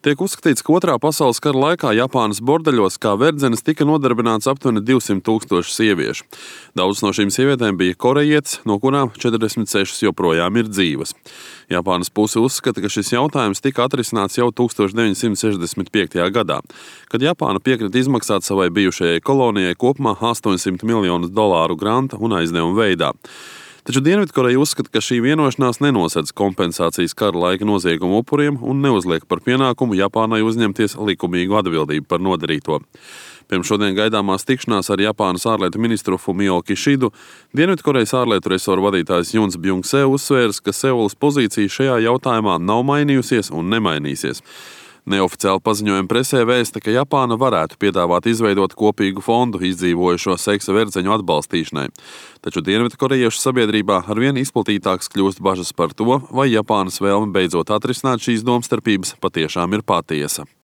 Tiek uzskatīts, ka Otrā pasaules kara laikā Japānas bordeļos kā verdzenes tika nodarbināts aptuveni 200 000 sieviešu. Daudzas no šīm sievietēm bija korejietes, no kurām 46 joprojām ir dzīvas. Japānas puse uzskata, ka šis jautājums tika atrisināts jau 1965. gadā, kad Japāna piekrita izmaksāt savai bijušajai kolonijai kopumā $800 miljonus granta un aizdevumu veidā. Taču Dienvidkoreja uzskata, ka šī vienošanās nenosedz kompensācijas kara laika noziegumu upuriem un neuzliek par pienākumu Japānai uzņemties likumīgu atbildību par nodarīto. Pirms šodien gaidāmās tikšanās ar Japānas ārlietu ministru Fumio Kishidu, Dienvidkorejas ārlietu resoru vadītājs Juns Bjung-se uzsvērs, ka Seulas pozīcija šajā jautājumā nav mainījusies un nemainīsies. Neoficiāli paziņojumi presē vēsta, ka Japāna varētu piedāvāt izveidot kopīgu fondu izdzīvojušo seksa verdzeņu atbalstīšanai. Taču dienvidkorejiešu sabiedrībā arvien izplatītāks kļūst bažas par to, vai Japānas vēlme beidzot atrisināt šīs domstarpības patiešām ir patiesa.